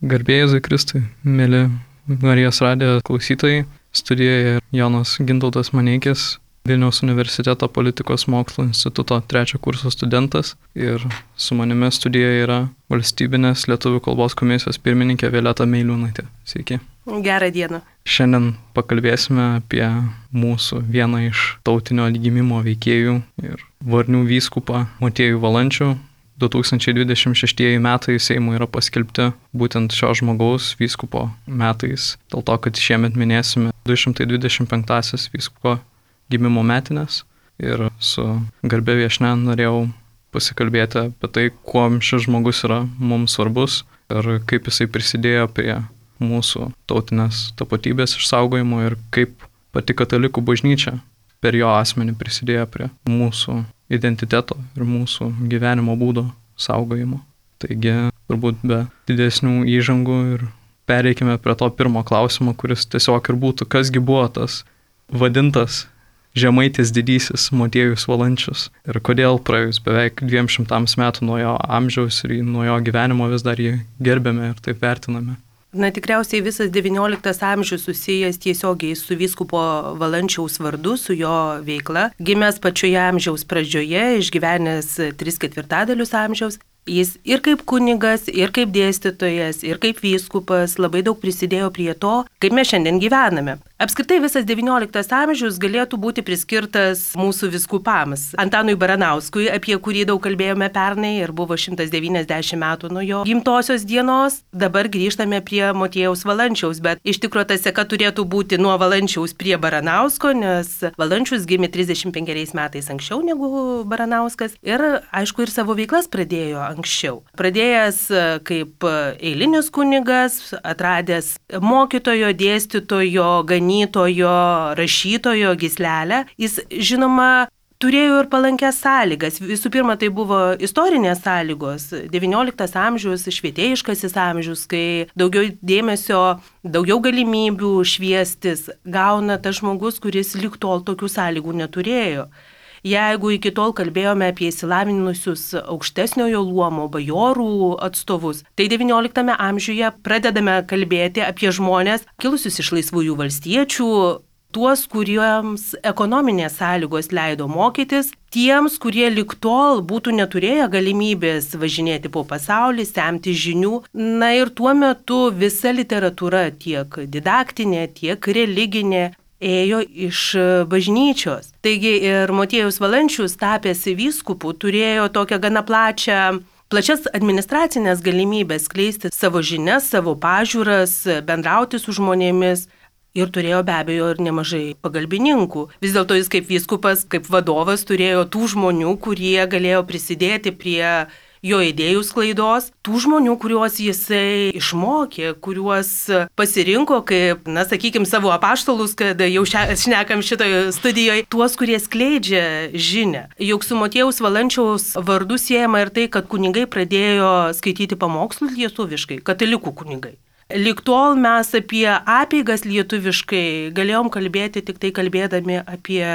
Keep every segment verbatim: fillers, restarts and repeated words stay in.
Garbė Jėzui Kristui, mėly Marijos radijo klausytojai, studijoje Jonas Gintautas Maneikis, Vilniaus universiteto politikos mokslo instituto trečio kurso studentas, ir su manimi studijoje yra Valstybinės lietuvių kalbos komisijos pirmininkė Violeta Meiliūnaitė. Sveiki. Gerą dieną. Šiandien pakalbėsime apie mūsų vieną iš tautinio atgimimo veikėjų ir Varnių vyskupą Motiejų Valančių. du tūkstančiai dvidešimt šeštieji metai Seimui yra paskelbti būtent šio žmogaus vyskupo metais, dėl to, kad šiemet minėsime du šimtai dvidešimt penktąsias vyskupo gimimo metinės, ir su garbė viešnia norėjau pasikalbėti apie tai, kuo šis žmogus yra mums svarbus ir kaip jisai prisidėjo prie mūsų tautinės tapatybės išsaugojimo ir kaip pati katalikų bažnyčia per jo asmenį prisidėjo prie mūsų identiteto ir mūsų gyvenimo būdo saugojimo. Taigi, turbūt be didesnių įžangų ir pereikime prie to pirmo klausimo, kuris tiesiog ir būtų, kasgi buvo tas vadintas Žemaitis didysis Motiejus Valančius ir kodėl praėjus beveik dviem šimtams metų nuo jo amžiaus ir nuo jo gyvenimo vis dar jį gerbėme ir taip vertiname. Na, tikriausiai visas devynioliktas amžius susijęs tiesiogiai su vyskupo Valančiaus vardu, su jo veikla. Gimęs pačioje amžiaus pradžioje, išgyvenęs tris ketvirtadalius amžiaus, jis ir kaip kunigas, ir kaip dėstytojas, ir kaip vyskupas labai daug prisidėjo prie to, kaip mes šiandien gyvename. Apskritai visas devynioliktas amžius galėtų būti priskirtas mūsų vyskupams. Antanui Baranauskui, apie kurį daug kalbėjome pernai ir buvo šimtas devyniasdešimt metų nuo jo gimtosios dienos. Dabar grįžtame prie Motiejaus Valančiaus, bet iš tikrųjų ta seka turėtų būti nuo Valančiaus prie Baranausko, nes Valančius gimė trisdešimt penkeriais metais anksčiau negu Baranauskas ir aišku ir savo veiklas pradėjo anksčiau. Pradėjęs kaip eilinis kunigas, atradęs mokytojo, dėstytojo, ganytojo, rašytojo gyslelę, jis žinoma turėjo ir palankias sąlygas. Visų pirma, tai buvo istorinės sąlygos. devynioliktas amžius, švietėjiškasis amžius, kai daugiau dėmesio, daugiau galimybių šviestis gauna tas žmogus, kuris lig tol tokių sąlygų neturėjo. Jeigu iki tol kalbėjome apie įsilavinusius aukštesniojo luomo bajorų atstovus, tai devynioliktame amžiuje pradedame kalbėti apie žmonės kilusius iš laisvųjų valstiečių, tuos, kuriems ekonominės sąlygos leido mokytis, tiems, kurie lig tol būtų neturėję galimybės važinėti po pasaulį, semti žinių. Na ir tuo metu visa literatūra, tiek didaktinė, tiek religinė, ėjo iš bažnyčios. Taigi ir Motiejus Valančius, tapęs vyskupu, turėjo tokią gana plačią, plačias administracinės galimybės skleisti savo žinias, savo pažiūras, bendrauti su žmonėmis ir turėjo be abejo ir nemažai pagalbininkų. Vis dėlto jis kaip vyskupas, kaip vadovas turėjo tų žmonių, kurie galėjo prisidėti prie jo idėjų sklaidos, tų žmonių, kuriuos jisai išmokė, kuriuos pasirinko kaip, na, sakykime, savo apaštalus, kad jau šnekam šitoje studijoje, tuos, kurie skleidžia žinią. Juk su Motiejaus Valančiaus vardu siejama ir tai, kad kunigai pradėjo skaityti pamokslus lietuviškai, katalikų kunigai. Lig tol mes apie apeigas lietuviškai galėjom kalbėti tik tai kalbėdami apie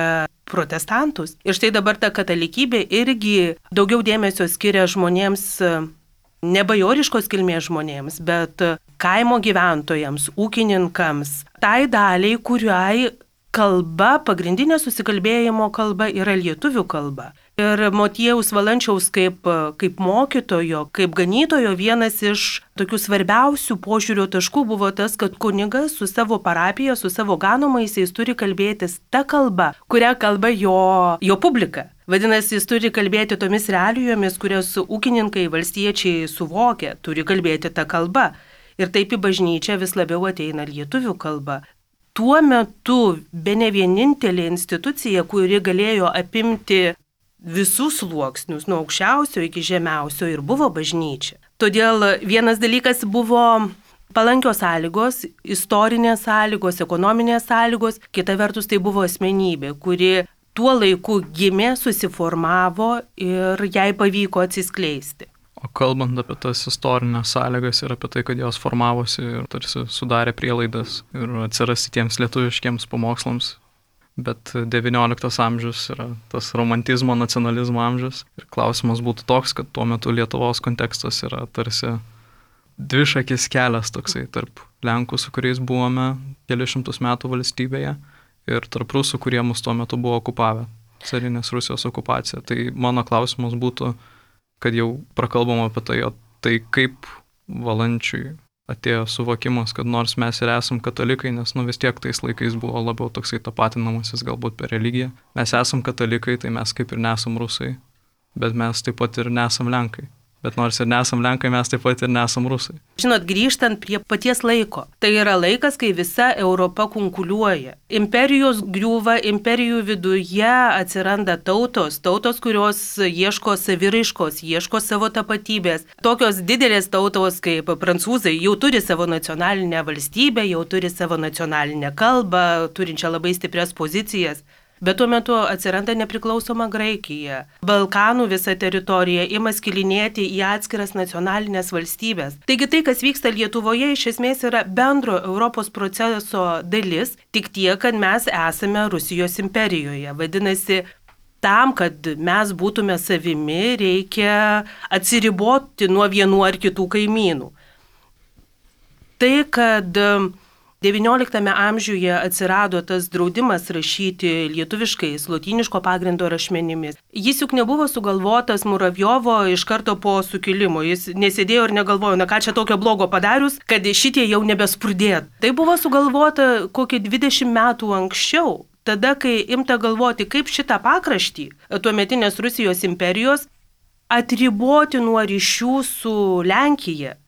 protestantus. Ir štai dabar ta katalikybė irgi daugiau dėmesio skiria žmonėms, ne bajoriškos kilmės žmonėms, bet kaimo gyventojams, ūkininkams, tai daliai, kuriai kalba, pagrindinė susikalbėjimo kalba yra lietuvių kalba. Ir Motiejaus Valančiaus kaip, kaip mokytojo, kaip ganytojo vienas iš tokių svarbiausių požiūrio taškų buvo tas, kad kunigas su savo parapija, su savo ganomaisiais turi kalbėtis ta kalba, kurią kalba jo, jo publika. Vadinasi, jis turi kalbėti tomis realijomis, kurias ūkininkai, valstiečiai suvokia, turi kalbėti tą kalbą. Ir taip į bažnyčią vis labiau ateina lietuvių kalba. Tuo metu bene vienintelė institucija, kuri galėjo apimti visus sluoksnius, nuo aukščiausio iki žemiausio, ir buvo bažnyčia. Todėl vienas dalykas buvo palankios sąlygos, istorinės sąlygos, ekonominės sąlygos, kita vertus tai buvo asmenybė, kuri tuo laiku gimė, susiformavo ir jai pavyko atsiskleisti. O kalbant apie tas istorinės sąlygas ir apie tai, kad jos formavosi ir tarsi sudarė prielaidas ir atsirasti tiems lietuviškiems pamokslams, bet devynioliktas amžius yra tas romantizmo, nacionalizmo amžius. Ir klausimas būtų toks, kad tuo metu Lietuvos kontekstas yra tarsi dvišakis kelias toksai tarp Lenkų, su kuriais buvome kelius šimtus metų valstybėje, ir tarp Rusų, kurie mus tuo metu buvo okupavę, carinės Rusijos okupacija. Tai mano klausimas būtų, kad jau prakalbam apie tai, o tai kaip Valančiui atėjo suvokimas, kad nors mes ir esam katalikai, nes nu vis tiek tais laikais buvo labiau toksai tapatinamasis galbūt per religiją. Mes esam katalikai, tai mes kaip ir nesam Rusai, bet mes taip pat ir nesam Lenkai. Bet nors ir nesam Lenkai, mes taip pat ir nesam Rusai. Žinot, grįžtant prie paties laiko. Tai yra laikas, kai visa Europa kunkuliuoja. Imperijos griūva, imperijų viduje atsiranda tautos, tautos, kurios ieško saviraiškos, ieško savo tapatybės. Tokios didelės tautos kaip prancūzai jau turi savo nacionalinę valstybę, jau turi savo nacionalinę kalbą, turinčią labai stiprias pozicijas. Bet tuo metu atsiranda nepriklausoma Graikija. Balkanų visa teritorija ima skilinėti į atskiras nacionalinės valstybės. Taigi tai, kas vyksta Lietuvoje, iš esmės yra bendro Europos proceso dalis, tik tiek, kad mes esame Rusijos imperijoje. Vadinasi, tam, kad mes būtume savimi, reikia atsiriboti nuo vienų ar kitų kaimynų. Tai, kad devynioliktame amžiuje atsirado tas draudimas rašyti lietuviškais, lotyniško pagrindo rašmenimis. Jis juk nebuvo sugalvotas Muravjovo iš karto po sukilimo. Jis nesėdėjo ir negalvojo, na ką čia tokio blogo padarius, kad šitie jau nebesprudėt. Tai buvo sugalvota kokį dvidešimt metų anksčiau. Tada, kai imta galvoti, kaip šitą pakraštį tuometinės Rusijos imperijos atriboti nuo ryšių su Lenkija.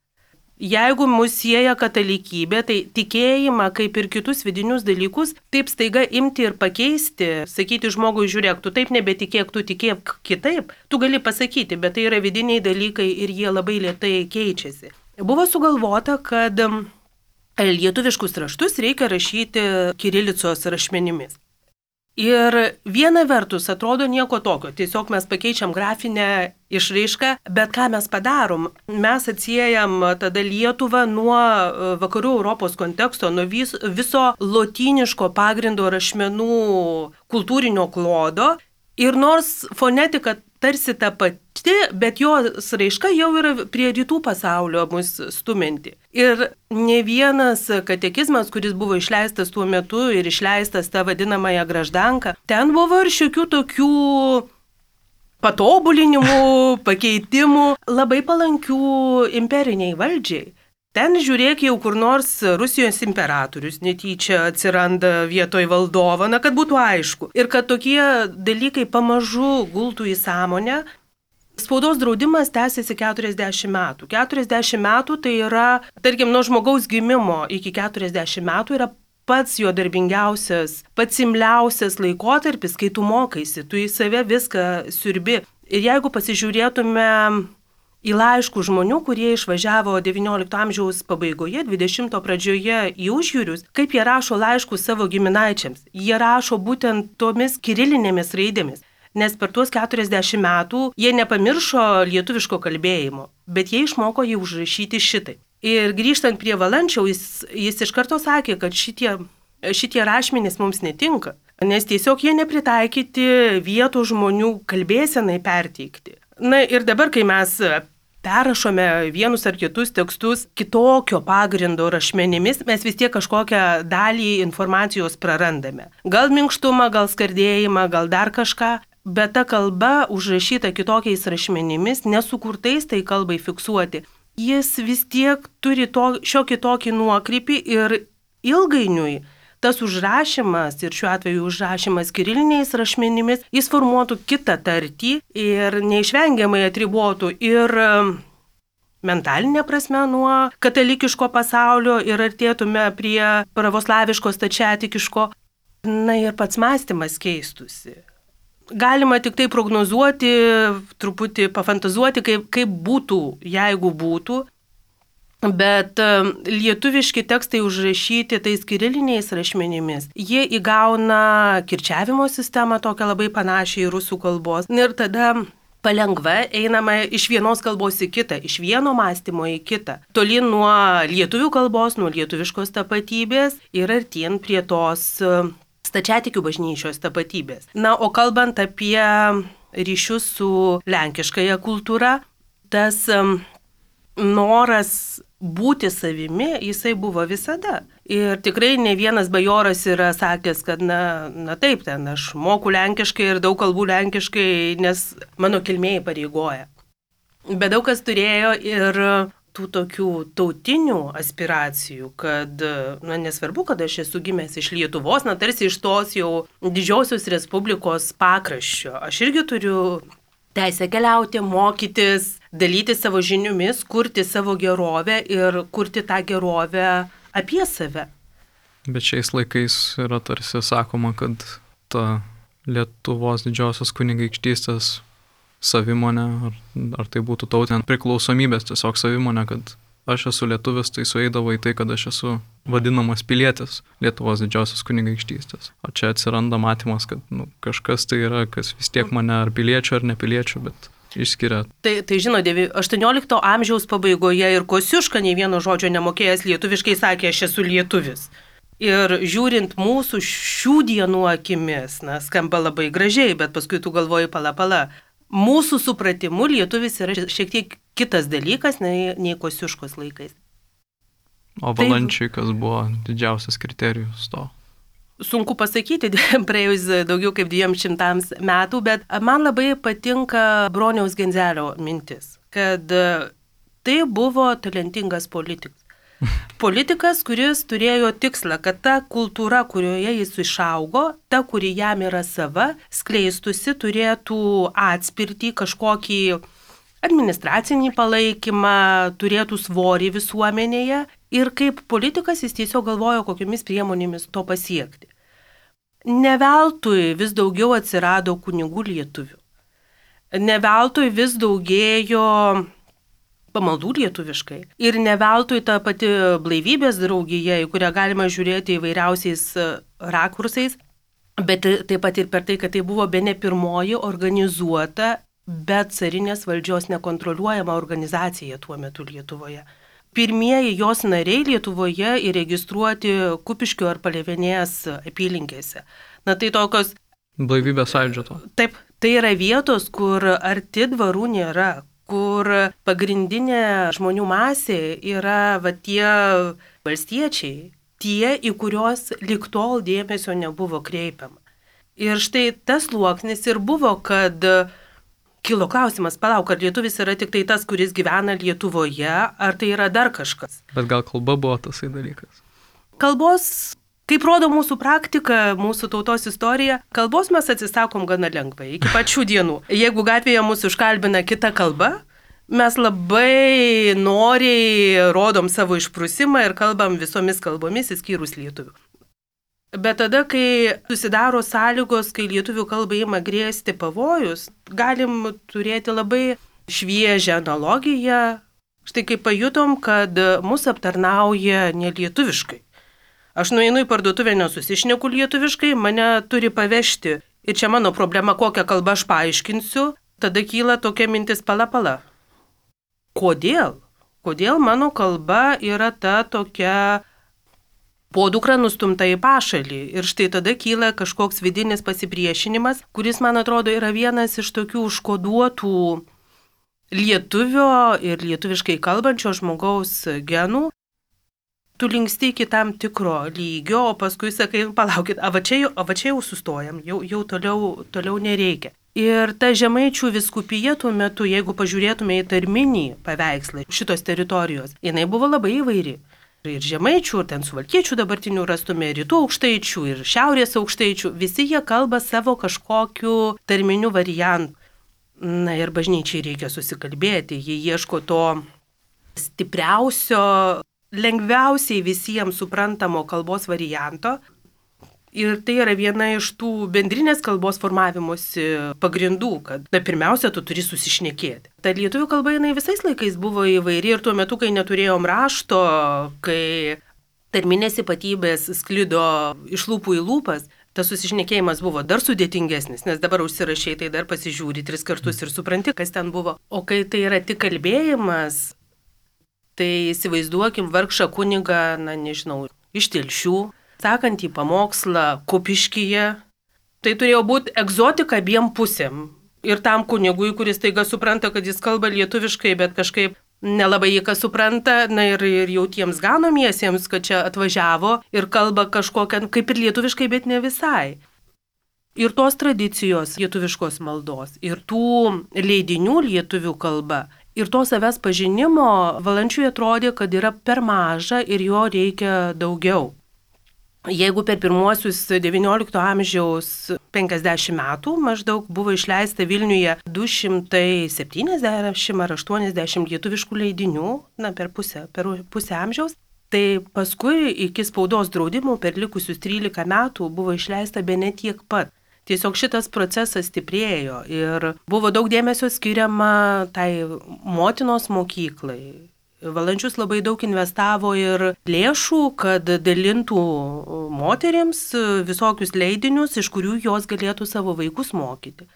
Jeigu mus sieja katalikybė, tai tikėjimą, kaip ir kitus vidinius dalykus, taip staiga imti ir pakeisti, sakyti žmogui, žiūrėk, tu taip nebetikėk, tu tikėk kitaip, tu gali pasakyti, bet tai yra vidiniai dalykai ir jie labai lėtai keičiasi. Buvo sugalvota, kad lietuviškus raštus reikia rašyti kirilicos rašmenimis. Ir viena vertus atrodo nieko tokio, tiesiog mes pakeičiam grafinę išraišką, bet ką mes padarom? Mes atsiejam tada Lietuvą nuo vakarų Europos konteksto, nuo vis, viso lotyniško pagrindo rašmenų kultūrinio klodo ir nors fonetika tarsi ta pati, bet jos raiška jau yra prie rytų pasaulio mus stuminti. Ir ne vienas katekizmas, kuris buvo išleistas tuo metu ir išleistas tą vadinamąją graždanką, ten buvo ir šiokių tokių patobulinimų, pakeitimų, labai palankių imperiniai valdžiai. Ten žiūrėk jau kur nors Rusijos imperatorius netyčia atsiranda vietoj valdovo, na kad būtų aišku. Ir kad tokie dalykai pamažu gultų į sąmonę. Spaudos draudimas tęsiasi keturiasdešimt metų. keturiasdešimt metų tai yra, tarkim, nuo žmogaus gimimo iki keturiasdešimt metų yra pats jo darbingiausias, pats imliausias laikotarpis, kai tu mokaisi, tu į save viską siurbi. Ir jeigu pasižiūrėtume į laiškų žmonių, kurie išvažiavo devyniolikto amžiaus pabaigoje, dvidešimto pradžioje į užjūrius, kaip jie rašo laiškus savo giminaičiams. Jie rašo būtent tomis kirilinėmis raidėmis, nes per tuos keturiasdešimt metų jie nepamiršo lietuviško kalbėjimo, bet jie išmoko jį užrašyti šitai. Ir grįžtant prie Valančiaus, jis, jis iš karto sakė, kad šitie, šitie rašmenys mums netinka, nes tiesiog jie nepritaikyti vietos žmonių kalbėsenai perteikti. Na ir dabar, kai mes perrašome vienus ar kitus tekstus kitokio pagrindo rašmenimis, mes vis tiek kažkokią dalį informacijos prarandame. Gal minkštumą, gal skardėjimą, gal dar kažką, bet ta kalba užrašyta kitokiais rašmenimis, nesukurtais tai kalbai fiksuoti, jis vis tiek turi to, šiokį tokį nuokrypį ir ilgainiui tas užrašymas, ir šiuo atveju užrašymas kiriliniais rašmenimis, jis formuotų kitą tartį ir neišvengiamai atribotų ir mentalinė prasme nuo katalikiško pasaulio ir artėtume prie pravoslaviško stačiatikiško. Na ir pats mąstymas keistusi. Galima tik tai prognozuoti, truputį pafantazuoti, kaip, kaip būtų, jeigu būtų. Bet lietuviški tekstai užrašyti tais kiriliniais rašmenimis, jie įgauna kirčiavimo sistemą tokią labai panašią į rusų kalbos. Ir tada palengva einama iš vienos kalbos į kitą, iš vieno mąstymo į kitą. Tolyn nuo lietuvių kalbos, nuo lietuviškos tapatybės ir artyn prie tos stačiatikių bažnyčios tapatybės. Na, o kalbant apie ryšius su lenkiškąja kultūra, tas noras būti savimi jisai buvo visada. Ir tikrai ne vienas bajoras yra sakęs, kad na, na taip, ten aš moku lenkiškai ir daug kalbų lenkiškai, nes mano kilmė įpareigoja. Bet daug kas turėjo ir tų tokių tautinių aspiracijų, kad, na, nesvarbu, kad aš esu gimęs iš Lietuvos, na, tarsi iš tos jau didžiosios respublikos pakraščio. Aš irgi turiu teisę keliauti, mokytis, dalyti savo žiniomis, kurti savo gerovę ir kurti tą gerovę apie save. Bet šiais laikais yra tarsi sakoma, kad ta Lietuvos didžiosios kunigaikštystės savimonė, ar, ar tai būtų tautinė priklausomybės tiesiog savimonė, kad aš esu lietuvis, tai sueidavo į tai, kad aš esu vadinamas pilietis Lietuvos didžiosios kunigaikštystės. O čia atsiranda matymas, kad nu, kažkas tai yra, kas vis tiek mane ar piliečių, ar nepiliečių, bet išskiria. Tai, tai žino, aštuoniolikto amžiaus pabaigoje ir Kosciuška nei vieno žodžio nemokėjęs lietuviškai sakė, aš esu lietuvis. Ir žiūrint mūsų šių dienų akimis, na, skamba labai gražiai, bet paskui tu galvoji pala pala. Mūsų supratimu lietuvis yra šiek tiek kitas dalykas nei, nei Kosciuškos laikais. O Valančiui kas buvo didžiausias kriterijus to? Sunku pasakyti, praėjus daugiau kaip dviem šimtams metų, bet man labai patinka Broniaus Genzelio mintis, kad tai buvo talentingas politikas. Politikas, kuris turėjo tikslą, kad ta kultūra, kurioje jis išaugo, ta, kuri jam yra sava, skleistusi, turėtų atspirtį, kažkokį administracinį palaikymą, turėtų svorį visuomenėje. Ir kaip politikas jis tiesiog galvojo, kokiomis priemonėmis to pasiekti. Ne veltui vis daugiau atsirado kunigų lietuvių. Ne veltui vis daugėjo pamaldų lietuviškai. Ir ne veltui ta pati blaivybės draugija, į kurią galima žiūrėti įvairiausiais rakursais, bet taip pat ir per tai, kad tai buvo bene pirmoji organizuota, bet carinės valdžios nekontroliuojama organizacija tuo metu Lietuvoje. Pirmieji jos nariai Lietuvoje įregistruoti Kupiškio ar Palėvenės apylinkėse. Na tai tokios... Blaivybės sąjūdžio to. Taip, tai yra vietos, kur arti dvarų nėra, kur pagrindinė žmonių masė yra va tie valstiečiai, tie, į kuriuos lig tol dėmesio nebuvo kreipiama. Ir štai tas sluoksnis ir buvo, kad kilo klausimas, palauk, ar lietuvis yra tik tai tas, kuris gyvena Lietuvoje, ar tai yra dar kažkas. Bet gal kalba buvo tasai dalykas? Kalbos, kaip rodo mūsų praktika, mūsų tautos istorija, kalbos mes atsisakom gana lengvai, iki pačių dienų. Jeigu gatvėje mūsų užkalbina kita kalba, mes labai noriai rodom savo išprusimą ir kalbam visomis kalbomis, įskyrus lietuvių. Bet tada, kai susidaro sąlygos, kai lietuvių kalbai ima grėsti pavojus, galim turėti labai šviežią analogiją. Štai kaip pajutom, kad mus aptarnauja nelietuviškai. Aš nueinu į parduotuvę, nesusišneku lietuviškai, mane turi pavežti. Ir čia mano problema, kokią kalbą aš paaiškinsiu, tada kyla tokia mintis pala pala. Kodėl? Kodėl mano kalba yra ta tokia podukra nustumta į pašalį? Ir štai tada kyla kažkoks vidinis pasipriešinimas, kuris, man atrodo, yra vienas iš tokių užkoduotų lietuvio ir lietuviškai kalbančio žmogaus genų. Tu linksti iki tam tikro lygio, o paskui sakai, palaukit, a va čia, a va čia jau sustojam, jau, jau toliau, toliau nereikia. Ir ta Žemaičių vyskupija tuo metu, jeigu pažiūrėtume į tarminį paveikslą šitos teritorijos, jinai buvo labai įvairi. Ir Žemaičių, ir ten Suvalkiečių dabartinių rastume, ir Rytų aukštaičių, ir Šiaurės aukštaičių, visi jie kalba savo kažkokiu tarminiu variantu. Na ir bažnyčiai reikia susikalbėti, jie ieško to stipriausio, lengviausiai visiems suprantamo kalbos varianto. Ir tai yra viena iš tų bendrinės kalbos formavimosi pagrindų, kad na, pirmiausia, tu turi susišnekėti. Ta lietuvių kalba jinai visais laikais buvo įvairi ir tuo metu, kai neturėjom rašto, kai tarminės ypatybės sklido iš lūpų į lūpas, tas susišnekėjimas buvo dar sudėtingesnis, nes dabar užsirašai, tai dar pasižiūri tris kartus ir supranti, kas ten buvo. O kai tai yra tik kalbėjimas, tai įsivaizduokim vargšą kunigą, na nežinau, iš Telšių, sakant į pamokslą Kupiškyje, tai turėjo būti egzotika abiem pusėm. Ir tam kunigui, kuris taiga supranta, kad jis kalba lietuviškai, bet kažkaip nelabai jį kas supranta, na ir, ir jau tiems ganomiesiems, kad čia atvažiavo ir kalba kažkokią, kaip ir lietuviškai, bet ne visai. Ir tos tradicijos lietuviškos maldos, ir tų leidinių lietuvių kalba, ir to savęs pažinimo Valančiui atrodė, kad yra per maža ir jo reikia daugiau. Jeigu per pirmuosius devyniolikto amžiaus penkiasdešimt metų maždaug buvo išleista Vilniuje du šimtai septyniasdešimt ar aštuoniasdešimt lietuviškų leidinių, na per pusę, per pusę amžiaus, tai paskui iki spaudos draudimų per likusius trylika metų buvo išleista bene tiek pat. Tiesiog šitas procesas stiprėjo ir buvo daug dėmesio skiriama tai motinos mokyklai. Valančius labai daug investavo ir lėšų, kad dalintų moterims visokius leidinius, iš kurių jos galėtų savo vaikus mokyti.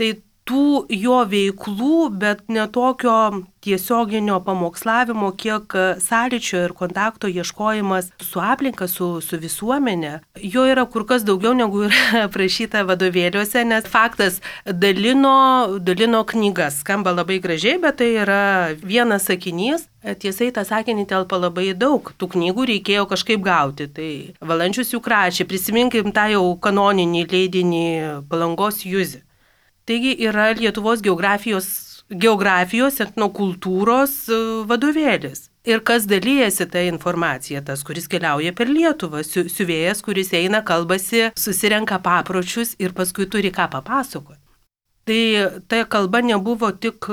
Tai tų jo veiklų, bet ne tokio tiesioginio pamokslavimo, kiek sąlyčio ir kontakto ieškojimas su aplinka, su, su visuomenė, jo yra kur kas daugiau negu yra aprašyta vadovėliuose, nes faktas dalino, dalino knygas. Skamba labai gražiai, bet tai yra vienas sakinys. Tiesai tą sakinį telpa labai daug. Tų knygų reikėjo kažkaip gauti. Tai Valančius juk rašė, prisiminkim tą jau kanoninį leidinį Palangos Juzį. Taigi yra Lietuvos geografijos, geografijos etnokultūros vadovėlis. Ir kas dalyjasi tą informaciją, tas, kuris keliauja per Lietuvą, siuvėjas, kuris eina, kalbasi, susirenka papročius ir paskui turi ką papasakoti. Tai ta kalba nebuvo tik,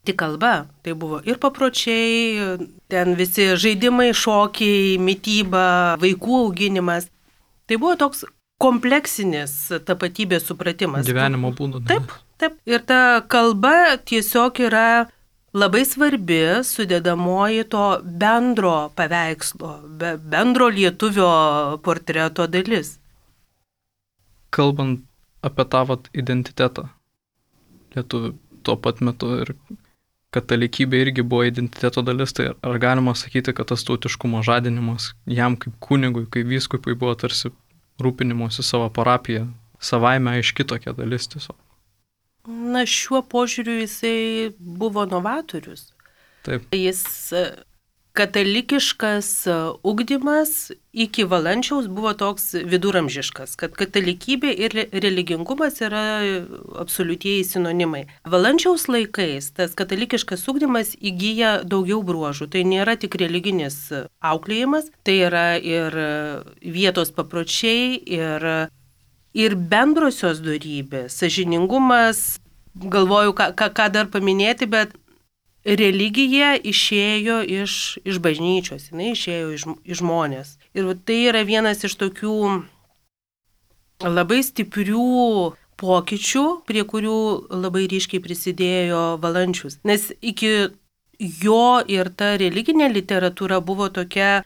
tik kalba, tai buvo ir papročiai, ten visi žaidimai, šokiai, mityba, vaikų auginimas. Tai buvo toks kompleksinis tapatybės supratimas. Gyvenimo būdo. Taip, taip. Ir ta kalba tiesiog yra labai svarbi sudedamoji to bendro paveikslo, be, bendro lietuvio portreto dalis. Kalbant apie tavo identitetą lietuvių tuo pat metu ir katalikybė irgi buvo identiteto dalis, tai ar galima sakyti, kad tas tautiškumo žadinimas jam kaip kunigui, kaip vyskupui buvo tarsi rūpinimuose savo parapiją, savaime aiški tokia dalis tiesiog? Na, šiuo požiūriu jisai buvo novatorius. Taip. Jis katalikiškas ugdymas iki Valančiaus buvo toks viduramžiškas, kad katalikybė ir religingumas yra absoliutieji sinonimai. Valančiaus laikais tas katalikiškas ugdymas įgyja daugiau bruožų. Tai nėra tik religinis auklėjimas, tai yra ir vietos papročiai, ir, ir bendrosios dorybės, sąžiningumas. Galvoju, ką, ką dar paminėti, bet religija išėjo iš, iš bažnyčios, jinai išėjo iš, iš žmonės. Ir tai yra vienas iš tokių labai stiprių pokyčių, prie kurių labai ryškiai prisidėjo Valančius. Nes iki jo ir ta religinė literatūra buvo tokia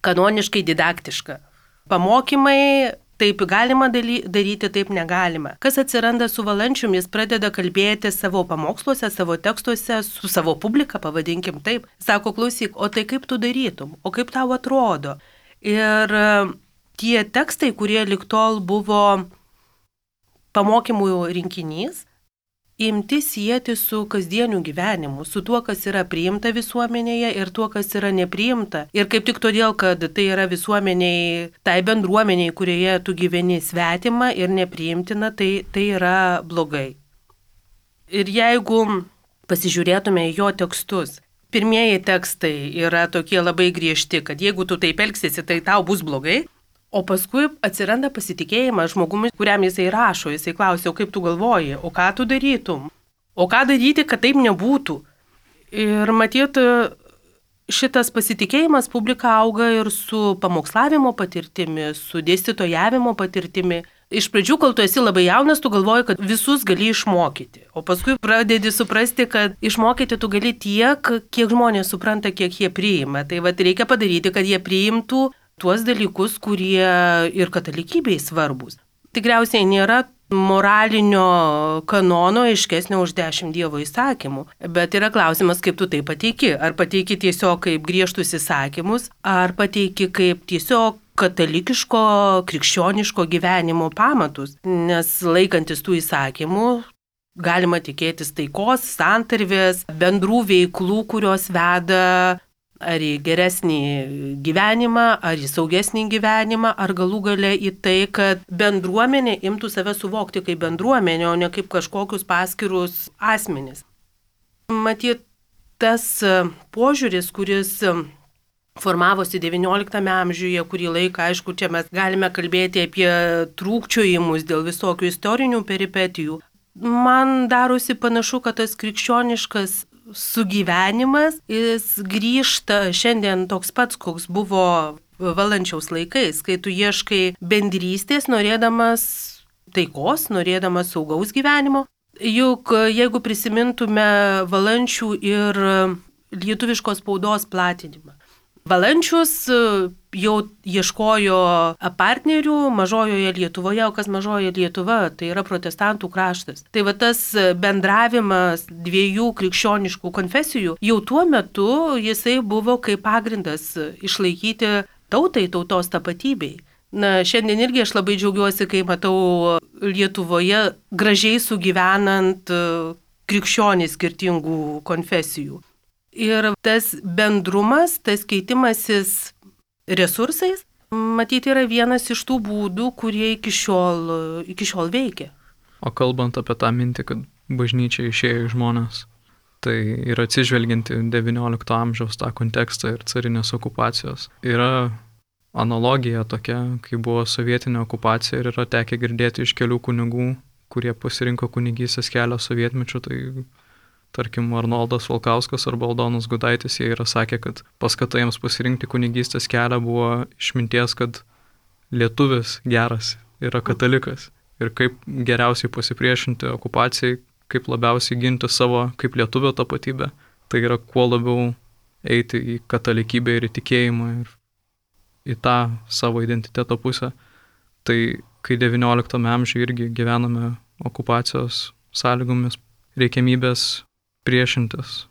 kanoniškai didaktiška. Pamokymai, taip galima daryti, taip negalima. Kas atsiranda su Valančiumi, jis pradeda kalbėti savo pamoksluose, savo tekstuose, su savo publika, pavadinkim taip. Sako, klausyk, o tai kaip tu darytum, o kaip tau atrodo. Ir tie tekstai, kurie lig tol buvo pamokymų rinkinys, imti sieti su kasdieniu gyvenimu, su tuo, kas yra priimta visuomenėje ir tuo, kas yra nepriimta. Ir kaip tik todėl, kad tai yra visuomeniai, tai bendruomeniai, kurioje tu gyveni svetima ir nepriimtina, tai, tai yra blogai. Ir jeigu pasižiūrėtume į jo tekstus, pirmieji tekstai yra tokie labai griežti, kad jeigu tu taip elgsiesi, tai tau bus blogai. O paskui atsiranda pasitikėjimas žmogumi, kuriam jisai rašo. Jisai klausia, o kaip tu galvoji, o ką tu darytum, o ką daryti, kad taip nebūtų. Ir matyt, šitas pasitikėjimas publika auga ir su pamokslavimo patirtimi, su dėstytojavimo patirtimi. Iš pradžių, kol tu esi labai jaunas, tu galvoji, kad visus gali išmokyti. O paskui pradedi suprasti, kad išmokyti tu gali tiek, kiek žmonės supranta, kiek jie priima. Tai vat reikia padaryti, kad jie priimtų tuos dalykus, kurie ir katalikybei svarbus. Tikriausiai nėra moralinio kanono aiškesnio už dešimt Dievo įsakymų, bet yra klausimas, kaip tu tai pateiki. Ar pateiki tiesiog kaip griežtus įsakymus, ar pateiki kaip tiesiog katalikiško, krikščioniško gyvenimo pamatus, nes laikantis tų įsakymų, galima tikėtis taikos, santarvės, bendrų veiklų, kurios veda ar į geresnį gyvenimą, ar į saugesnį gyvenimą, ar galų gale į tai, kad bendruomenė imtų save suvokti kaip bendruomenė, o ne kaip kažkokius paskirus asmenis. Matyt, tas požiūris, kuris formavosi devynioliktame amžiuje, kurį laiką, aišku, čia mes galime kalbėti apie trūkčiojimus dėl visokių istorinių peripetijų. Man darosi panašu, kad tas krikščioniškas sugyvenimas, jis grįžta šiandien toks pats, koks buvo Valančiaus laikais, kai tu ieškai bendrystės, norėdamas taikos, norėdamas saugaus gyvenimo. Juk jeigu prisimintume Valančių ir lietuviškos spaudos platinimą, Valančius jau ieškojo partnerių mažojoje Lietuvoje, o kas mažojoje Lietuva, tai yra protestantų kraštas. Tai va tas bendravimas dviejų krikščioniškų konfesijų, jau tuo metu jisai buvo kaip pagrindas išlaikyti tautai, tautos tapatybei. Na, šiandien irgi aš labai džiaugiuosi, kai matau Lietuvoje gražiai sugyvenant krikščionys skirtingų konfesijų. Ir tas bendrumas, tas keitimasis resursais, matyti, yra vienas iš tų būdų, kurie iki šiol, iki šiol veikia. O kalbant apie tą mintį, kad bažnyčia išėjo į žmonės, tai ir atsižvelgiant į devyniolikto amžiaus tą kontekstą ir carinės okupacijos, yra analogija tokia, kai buvo sovietinė okupacija ir yra tekę girdėti iš kelių kunigų, kurie pasirinko kunigystės kelią sovietmečiu, tai tarkim Arnoldas Valkauskas arba Aldonas Gudaitis, jie yra sakę, kad paskata jiems pasirinkti kunigystės kelią buvo išminties, kad lietuvis geras yra katalikas ir kaip geriausiai pasipriešinti okupacijai, kaip labiausiai ginti savo kaip lietuvio tapatybę. Tai yra kuo labiau eiti į katalikybę ir į tikėjimą ir į tą savo identiteto pusę. Tai kai devynioliktame amžiuje irgi gyvename okupacijos sąlygomis, reikiamybės priešintis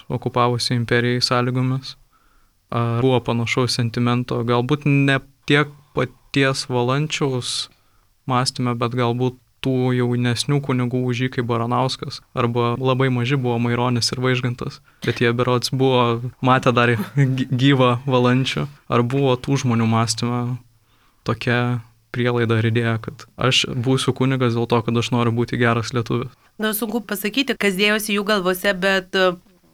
okupavusiai imperijai sąlygomis, ar buvo panašaus sentimento, galbūt ne tiek paties Valančiaus mąstyme, bet galbūt tų jaunesnių kunigų už jį kaip Baranauskas, arba labai maži buvo Maironis ir Vaižgantas, bet jie berods buvo matę dar gyvą Valančių, ar buvo tų žmonių mąstyme tokia prielaida ir idėja, kad aš būsiu kunigas dėl to, kad aš noriu būti geras lietuvis. Na, sunku pasakyti, kas dėjosi jų galvose, bet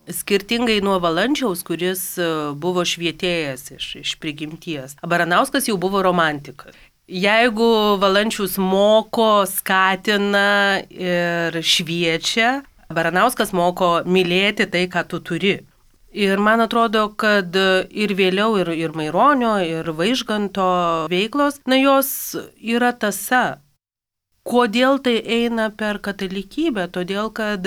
skirtingai nuo Valančiaus, kuris buvo švietėjas iš, iš prigimties, Baranauskas jau buvo romantikas. Jeigu Valančius moko, skatina ir šviečia, Baranauskas moko mylėti tai, ką tu turi. Ir man atrodo, kad ir vėliau, ir, ir Maironio, ir Vaižganto veiklos, na, jos yra tąsa. Kodėl tai eina per katalikybę? Todėl, kad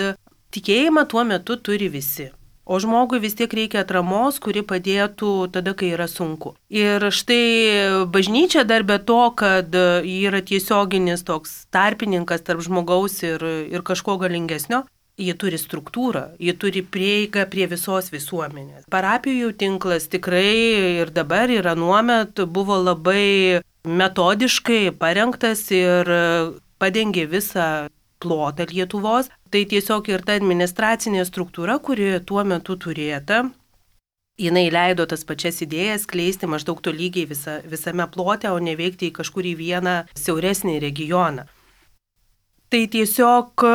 tikėjimą tuo metu turi visi. O žmogui vis tiek reikia atramos, kuri padėtų tada, kai yra sunku. Ir štai bažnyčia dar be to, kad ji yra tiesioginis toks tarpininkas tarp žmogaus ir, ir kažko galingesnio, ji turi struktūrą, ji turi prieigą prie visos visuomenės. Parapijų tinklas tikrai ir dabar ir anuomet buvo labai metodiškai parengtas ir padengė visą plotą Lietuvos. Tai tiesiog ir ta administracinė struktūra, kuri tuo metu turėta, jinai leido tas pačias idėjas skleisti maždaug tolygiai visa, visame plote, o ne veikti į kažkurį vieną siauresnį regioną. Tai tiesiog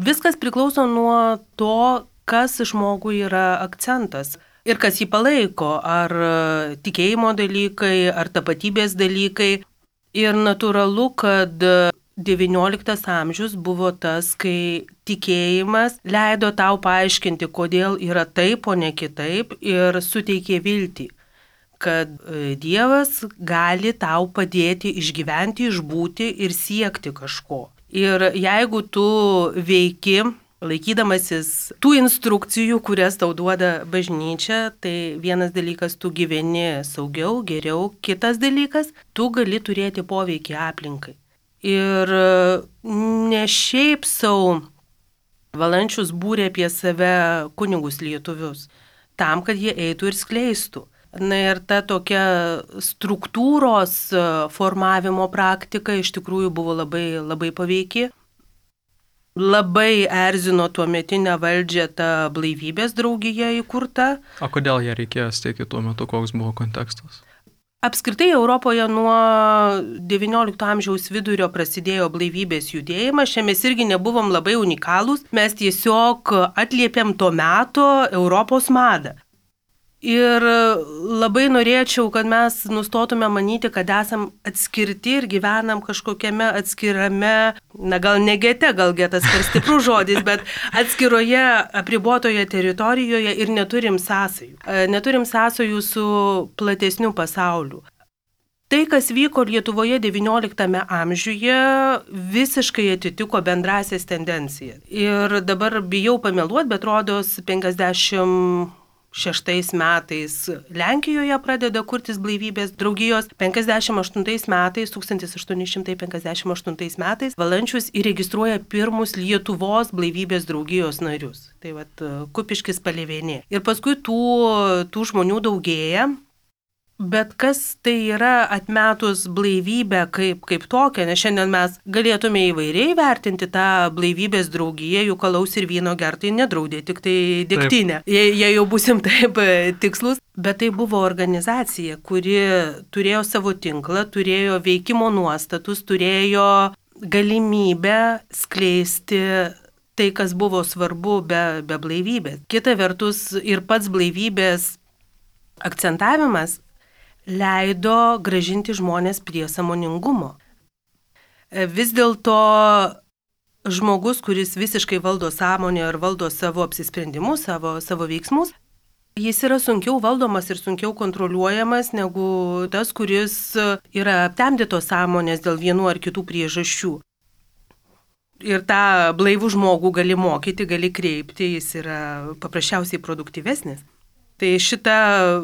viskas priklauso nuo to, kas žmogui yra akcentas ir kas jį palaiko, ar tikėjimo dalykai, ar tapatybės dalykai. Ir natūralu, kad devynioliktas amžius buvo tas, kai tikėjimas leido tau paaiškinti, kodėl yra taip, o ne kitaip, ir suteikė viltį, kad Dievas gali tau padėti išgyventi, išbūti ir siekti kažko. Ir jeigu tu veiki, laikydamasis tų instrukcijų, kurias tau duoda bažnyčia, tai vienas dalykas, tu gyveni saugiau, geriau, kitas dalykas, tu gali turėti poveikį aplinkai. Ir ne šiaip sau Valančius būrė apie save kunigus lietuvius, tam, kad jie eitų ir skleistų. Na ir ta tokia struktūros formavimo praktika iš tikrųjų buvo labai, labai paveiki. Labai erzino tuometinę valdžią ta blaivybės draugija įkurta. O kodėl ją reikėjo steigti tuo metu, koks buvo kontekstas? Apskritai Europoje nuo devyniolikto amžiaus vidurio prasidėjo blaivybės judėjimas, čia mes irgi nebuvom labai unikalūs, mes tiesiog atliepėm to meto Europos madą. Ir labai norėčiau, kad mes nustotume manyti, kad esam atskirti ir gyvenam kažkokiame atskirame, na gal ne gete, gal getas per stiprus žodis, bet atskiroje apribotoje teritorijoje ir neturim sąsajų. Neturim sąsajų su platesniu pasauliu. Tai, kas vyko Lietuvoje devynioliktame amžiuje, visiškai atitiko bendrasias tendencijas. Ir dabar bijau pameluoti, bet rodos penkiasdešimt šeštais metais Lenkijoje pradeda kurtis blaivybės draugijos, penkiasdešimt aštuntais metais, tūkstantis aštuoni šimtai penkiasdešimt aštuntais metais, Valančius įregistruoja pirmus Lietuvos blaivybės draugijos narius. Tai vat Kupiškis Palėvėnė. Ir paskui tų, tų žmonių daugėja. Bet kas tai yra atmetus blaivybę kaip, kaip tokią, nes šiandien mes galėtume įvairiai vertinti tą blaivybės draugiją, juk alaus ir vyno gertai nedraudė, tik tai degtinę, jei, jei jau būsim taip tikslus. Bet tai buvo organizacija, kuri turėjo savo tinklą, turėjo veikimo nuostatus, turėjo galimybę skleisti tai, kas buvo svarbu be, be blaivybės. Kita vertus ir pats blaivybės akcentavimas leido gražinti žmonės prie sąmoningumo. Vis dėlto žmogus, kuris visiškai valdo sąmonę ir valdo savo apsisprendimus, savo, savo veiksmus, jis yra sunkiau valdomas ir sunkiau kontroliuojamas negu tas, kuris yra aptemdytos sąmonės dėl vienų ar kitų priežasčių. Ir tą blaivų žmogų gali mokyti, gali kreipti, jis yra paprasčiausiai produktyvesnis. Tai šita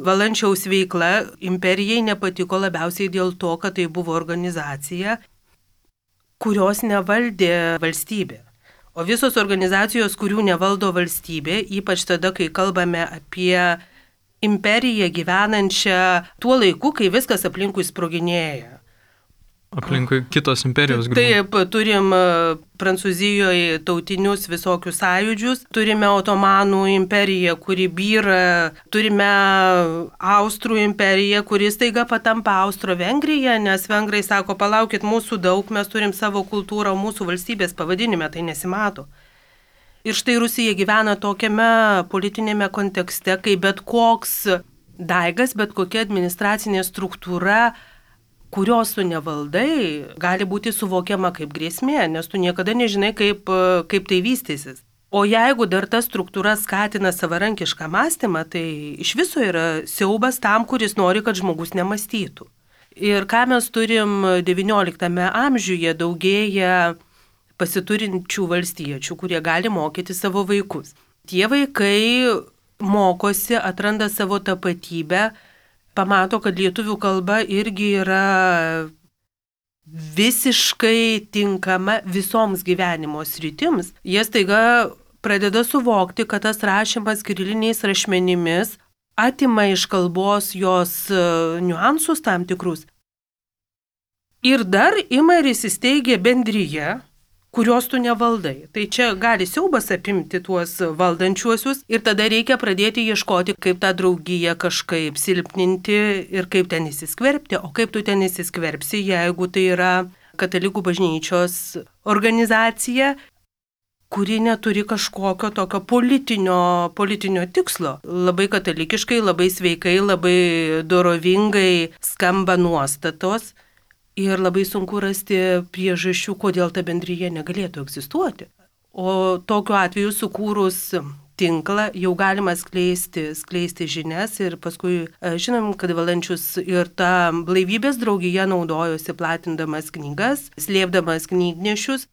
Valančiaus veikla imperijai nepatiko labiausiai dėl to, kad tai buvo organizacija, kurios nevaldė valstybė. O visos organizacijos, kurių nevaldo valstybė, ypač tada, kai kalbame apie imperiją gyvenančią tuo laiku, kai viskas aplinkui sproginėja. Aplinkui kitos imperijos griūva. Taip, turim Prancūzijoje tautinius visokius sąjūdžius, turime Otomanų imperiją, kuri byra, turime Austrų imperiją, kuri staiga patampa Austro-Vengrija, nes vengrai sako, palaukit, mūsų daug, mes turim savo kultūrą, mūsų valstybės pavadinime tai nesimato. Ir štai Rusija gyvena tokiame politinėme kontekste, kai bet koks daigas, bet kokia administracinė struktūra, kurios tu nevaldai, gali būti suvokiama kaip grėsmė, nes tu niekada nežinai, kaip, kaip tai vystysis. O jeigu dar ta struktūra skatina savarankišką mąstymą, tai iš viso yra siaubas tam, kuris nori, kad žmogus nemąstytų. Ir ką mes turim devynioliktame amžiuje, daugėja pasiturinčių valstiečių, kurie gali mokyti savo vaikus. Tie vaikai mokosi, atranda savo tapatybę, pamato, kad lietuvių kalba irgi yra visiškai tinkama visoms gyvenimo sritims. Jie staiga pradeda suvokti, kad tas rašymas kiriliniais rašmenimis atima iš kalbos jos niuansus tam tikrus. Ir dar ima ir įsisteigia bendryje, kurios tu nevaldai. Tai čia gali siaubas apimti tuos valdančiuosius ir tada reikia pradėti ieškoti, kaip tą draugiją kažkaip silpninti ir kaip ten įsiskverbti. O kaip tu ten įsiskverbsi, jeigu tai yra katalikų bažnyčios organizacija, kuri neturi kažkokio tokio politinio, politinio tikslo. Labai katalikiškai, labai sveikai, labai dorovingai skamba nuostatos. Ir labai sunku rasti priežasčių, kodėl ta bendryje negalėtų egzistuoti. O tokiu atveju sukūrus tinklą jau galima skleisti, skleisti žinias ir paskui žinom, kad Valančius ir ta blaivybės draugija naudojosi platindamas knygas, slėpdamas knygnešius.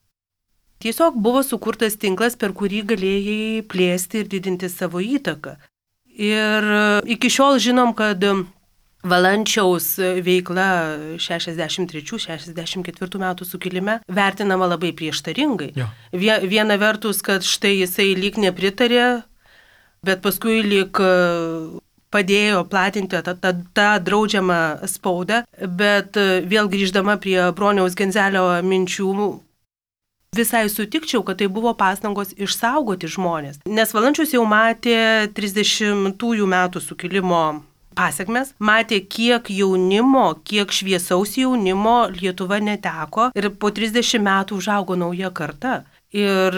Tiesiog buvo sukurtas tinklas, per kurį galėjai plėsti ir didinti savo įtaką. Ir iki šiol žinom, kad Valančiaus veikla šešiasdešimt trečių šešiasdešimt ketvirtų metų sukilime vertinama labai prieštaringai. Ja. Viena vertus, kad štai jisai lyg nepritarė, bet paskui lyg padėjo platinti tą, tą, tą draudžiamą spaudą, bet vėl grįždama prie Broniaus Genzelio minčių, visai sutikčiau, kad tai buvo pastangos išsaugoti žmonės. Nes Valančius jau matė trisdešimtųjų metų sukilimo pasiekmes, matė, kiek jaunimo, kiek šviesaus jaunimo Lietuva neteko ir po trisdešimt metų užaugo nauja karta. Ir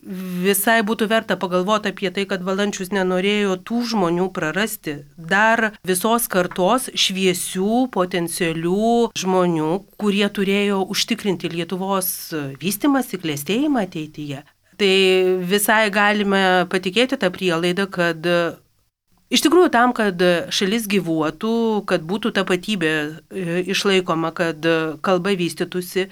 visai būtų verta pagalvoti apie tai, kad Valančius nenorėjo tų žmonių prarasti. Dar visos kartos šviesių, potencialių žmonių, kurie turėjo užtikrinti Lietuvos vystimąsi, klestėjimą ateityje. Tai visai galime patikėti tą prielaidą, kad iš tikrųjų tam, kad šalis gyvuotų, kad būtų tapatybė išlaikoma, kad kalba vystytųsi,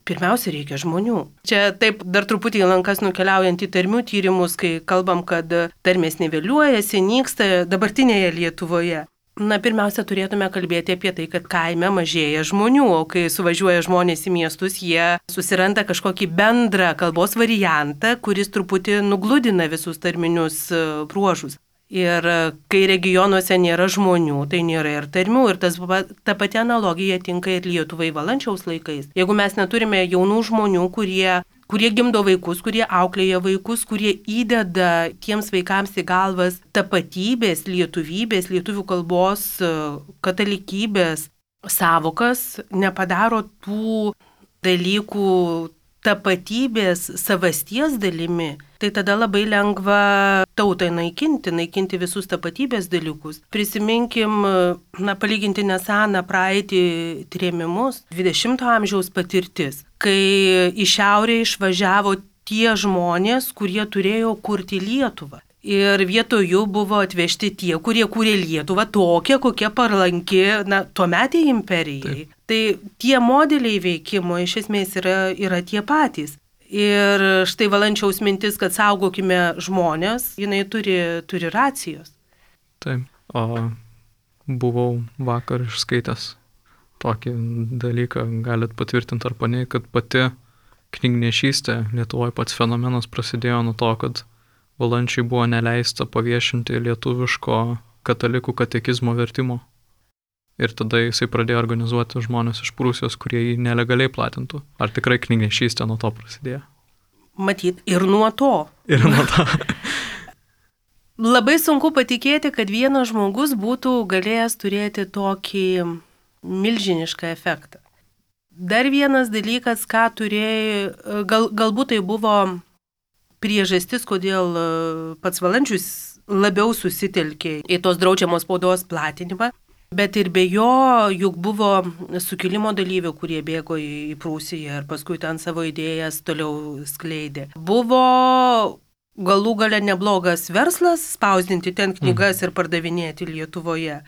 pirmiausia, reikia žmonių. Čia taip dar truputį lankas nukeliaujant į tarmių tyrimus, kai kalbam, kad tarmės niveliuojasi, nyksta dabartinėje Lietuvoje. Na, pirmiausia, turėtume kalbėti apie tai, kad kaime mažėja žmonių, o kai suvažiuoja žmonės į miestus, jie susiranda kažkokį bendrą kalbos variantą, kuris truputį nugludina visus tarminius bruožus. Ir kai regionuose nėra žmonių, tai nėra ir tarmių. Ir tas, ta pati analogija tinka ir Lietuvai Valančiaus laikais. Jeigu mes neturime jaunų žmonių, kurie, kurie gimdo vaikus, kurie auklėja vaikus, kurie įdeda tiems vaikams į galvas tapatybės, lietuvybės, lietuvių kalbos, katalikybės savokas, nepadaro tų dalykų tapatybės savasties dalimi, tai tada labai lengva tautai naikinti, naikinti visus tapatybės dalykus. Prisiminkim, na, palyginti neseną praeitį trėmimus, dvidešimto amžiaus patirtis, kai į šiaurę išvažiavo tie žmonės, kurie turėjo kurti Lietuvą. Ir vietoj jų buvo atvežti tie, kurie kūrė Lietuvą tokią, kokia palanki, na, tuometei imperijai. Taip. Tai tie modeliai veikimo iš esmės yra, yra tie patys. Ir štai Valančiaus mintis, kad saugokime žmonės, jinai turi, turi racijos. Taip, o buvau vakar išskaitęs tokį dalyką, galit patvirtinti ar paneigti, kad pati knygnešystė Lietuvoje pats fenomenas prasidėjo nuo to, kad Valančiui buvo neleista paviešinti lietuviško katalikų katekizmo vertimo. Ir tada jisai pradėjo organizuoti žmonės iš Prūsijos, kurie jį nelegaliai platintų. Ar tikrai knygnešystė nuo to prasidėjo? Matyt, ir nuo to. Ir nuo to. Labai sunku patikėti, kad vienas žmogus būtų galėjęs turėti tokį milžinišką efektą. Dar vienas dalykas, ką turėjo, gal, galbūt tai buvo priežastis, kodėl pats Valančius labiau susitelkė į tos draudžiamos spaudos platinimą. Bet ir be jo, juk buvo sukilimo dalyvių, kurie bėgo į Prūsiją ir paskui ten savo idėjas toliau skleidė. Buvo galų gale neblogas verslas spausdinti ten knygas ir pardavinėti Lietuvoje.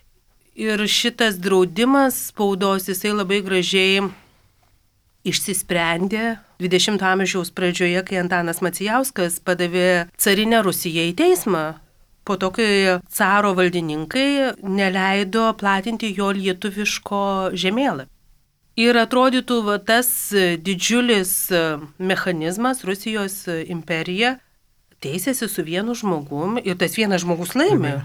Ir šitas draudimas spaudos, jisai labai gražiai išsisprendė dvidešimto amžiaus pradžioje, kai Antanas Macijauskas padavė carinę Rusiją į teismą. Po to, kai caro valdininkai neleido platinti jo lietuviško žemėlapio. Ir atrodytų, va, tas didžiulis mechanizmas, Rusijos imperija, teisėsi su vienu žmogum ir tas vienas žmogus laimė.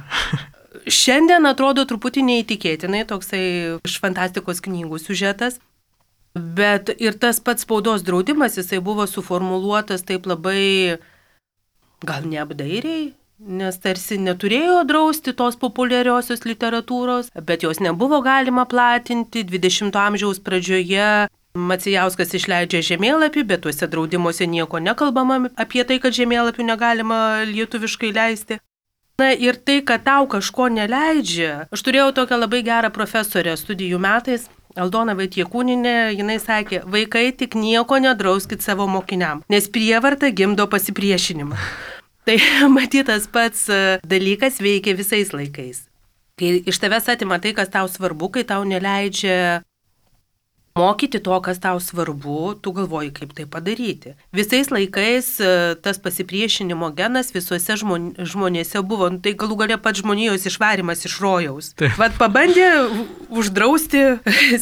Šiandien atrodo truputį neįtikėtinai, toksai iš fantastikos knygų siužetas. Bet ir tas pats spaudos draudimas, jisai buvo suformuluotas taip labai, gal neapdairiai, nes tarsi neturėjo drausti tos populiariosios literatūros, bet jos nebuvo galima platinti. dvidešimto amžiaus pradžioje Macijauskas išleidžia žemėlapį, bet tuose draudimuose nieko nekalbama apie tai, kad žemėlapių negalima lietuviškai leisti. Na ir tai, kad tau kažko neleidžia. Aš turėjau tokią labai gerą profesorę studijų metais, Aldona Vaitiekūninė, jinai sakė, vaikai tik nieko nedrauskit savo mokiniam, nes prievarta gimdo pasipriešinimą. Tai matytas pats dalykas veikia visais laikais. Kai iš tavęs atima tai, kas tau svarbu, kai tau neleidžia mokyti to, kas tau svarbu, tu galvoji, kaip tai padaryti. Visais laikais tas pasipriešinimo genas visuose žmon, žmonėse buvo, tai galų galia pats žmonijos išvarimas iš rojaus. Taip. Vat pabandė uždrausti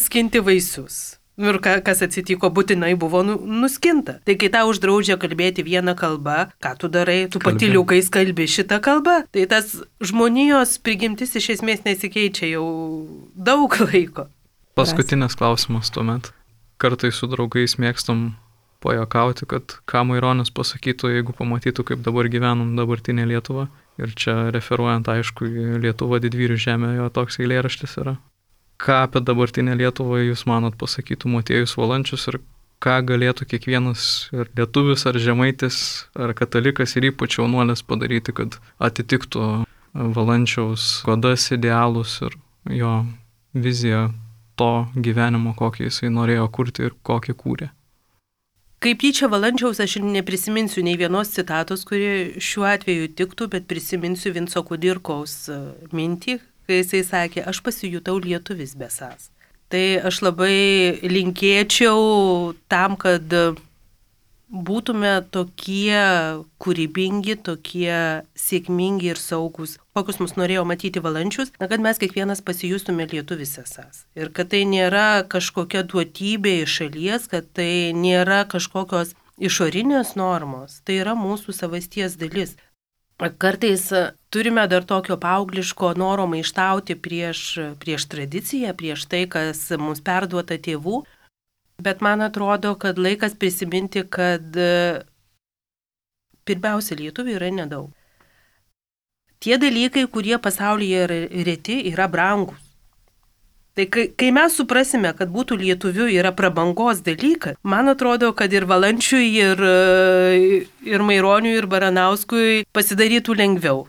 skinti vaisius. Ir kas atsitiko, būtinai buvo nuskinta. Tai kai tau uždraudžia kalbėti vieną kalbą, ką tu darai, tu patyliukais kalbi šitą kalbą, tai tas žmonijos prigimtis iš esmės nesikeičia jau daug laiko. Paskutinis klausimas tuomet. Kartais su draugais mėgstam pajuokauti, kad ką Maironis pasakytų, jeigu pamatytų, kaip dabar gyvenam dabartinė Lietuva. Ir čia referuojant, aišku, į Lietuvą didvyrių žemę, jo toks eilėraštis yra. Ką apie dabartinę Lietuvą jūs manot pasakytų Motiejus Valančius ir ką galėtų kiekvienas ir lietuvis, ar žemaitis, ar katalikas ir ypač jaunuolis padaryti, kad atitiktų Valančiaus godas, idealus ir jo viziją to gyvenimo, kokį jisai norėjo kurti ir kokį kūrė. Kaip tyčia Valančiaus aš neprisiminsiu nei vienos citatos, kuri šiuo atveju tiktų, bet prisiminsiu Vinco Kudirkaus mintį, kai jisai sakė, aš pasijutau lietuvis besas. Tai aš labai linkėčiau tam, kad būtume tokie kūrybingi, tokie sėkmingi ir saugus, kokius mus norėjo matyti Valančius, na, kad mes kiekvienas pasijustume lietuvis esas. Ir kad tai nėra kažkokia duotybė iš šalies, kad tai nėra kažkokios išorinės normos, tai yra mūsų savasties dalis. Kartais turime dar tokio paaugliško noro maištauti prieš, prieš tradiciją, prieš tai, kas mums perduota tėvų, bet man atrodo, kad laikas prisiminti, kad pirmiausia lietuvių yra nedaug. Tie dalykai, kurie pasaulyje yra reti, yra brangus. Tai kai, kai mes suprasime, kad būtų lietuvių yra prabangos dalykas, man atrodo, kad ir Valančiui, ir, ir Maironiui, ir Baranauskui pasidarytų lengviau.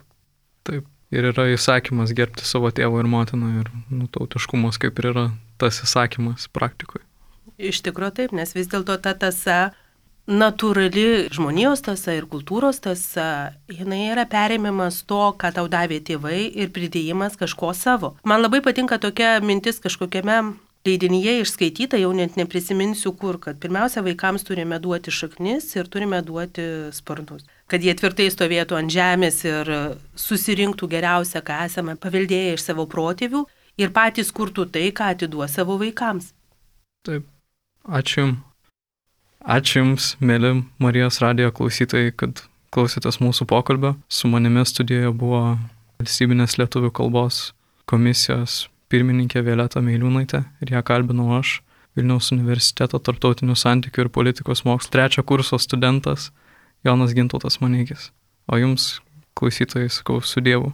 Taip, ir yra įsakymas gerbti savo tėvą ir motiną, ir nu, tautiškumas kaip ir yra tas įsakymas praktikoje. Iš tikrųjų taip, nes vis dėlto ta tasa, natūrali žmonijos tasa ir kultūros tasa, jinai yra perėmimas to, ką tau davė tėvai ir pridėjimas kažko savo. Man labai patinka tokia mintis kažkokiame leidinyje išskaityta, jau net neprisiminsiu kur, kad pirmiausia vaikams turime duoti šaknis ir turime duoti sparnus. Kad jie tvirtai stovėtų ant žemės ir susirinktų geriausia, ką esame paveldėję iš savo protėvių ir patys kurtų tai, ką atiduos savo vaikams. Taip, ačiū Jums. Ačiū Jums, mėly Marijos radijo klausytojai, kad klausėtės mūsų pokalbio. Su manimi studijoje buvo Valstybinės lietuvių kalbos komisijos pirmininkė Violeta Meiliūnaitė ir ją kalbinau aš, Vilniaus universiteto tarptautinių santykių ir politikos mokslų trečio kurso studentas Jonas Gintautas Maneikis. O Jums, klausytojai, sakau su Dievu.